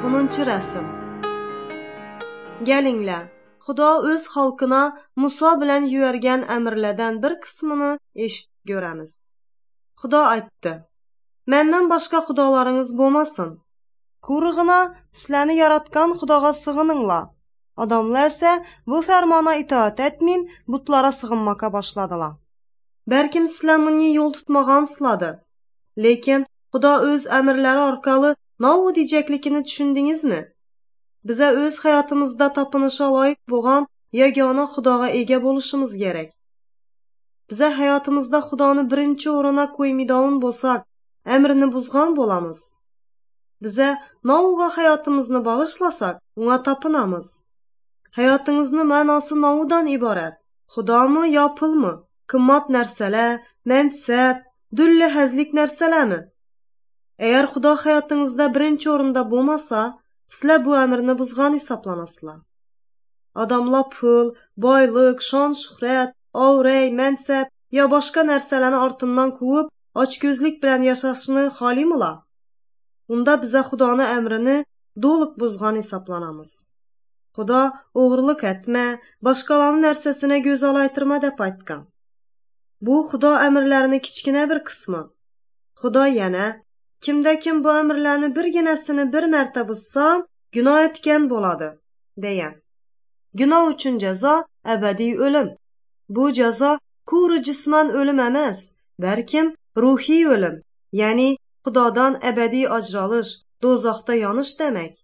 10-cu rəsm. Gəlinglər, Xudo öz xalqına Musa bilən yüyərgən əmrlərdən bir qismini eşitib görəmiz. Xudo aytdı: "Məndən başqa xudolarınız bo'lmasin. Qurğuna sizlarni yaratgan Xudoga sığınыңlar." Adamlar ise bu fermana itaat etmeyin, butlara sığınmaka başladılar. Bəlkim sizlar bunu yol tutmağansızlardır. Lekin Xudo öz əmrləri arkalı nə diyeceklikini düşündünüzmü? Bize öz hayatımızda tapınışa layık boğan yegana Xudoga ega bo'lishimiz gerek. Bize hayatımızda Xudoni birinci oruna koymaydigan bo'lsak, əmrini buzgan bo'lamiz. Bize nauğa hayatımızını bağışlasak, ona tapınamız. Hayatınızın mənası naudan ibaret. Xudo mı ya pul mu? Qımmat nərsələr, mənsəb, düllü həzlik nərsələrmi? Eğer Xudo hayatınızda birinci orunda bo'lmasa, sizlar bu əmrini buzgan hesaplanasılar. Adamlar pul, boyluq, şan, şöhrət, avrey, mənsəb ya başqa nərsələrini artından quvub, açgözlük bilən yaşashını xalimılar? Unda bize Xudoni əmrini doluq buzgan hesaplanamız. Xudo oğurluq etmə, başqalarının nərsəsinə göz alaytırma dep aytgan. Bu Xudo əmrlərini kichkina bir qismi. Xudo yana kimdə kim bu əmrlərini birginəsini bir mərtə buzsam, günah etgan bo'ladi, degan. Günah uchun jazo abadiy o'lim. Bu jazo kuru jisman o'lim emas, balkim ruhiy o'lim, ya'ni Xudodan abadiy ajralish, do'zaxda yonish demek.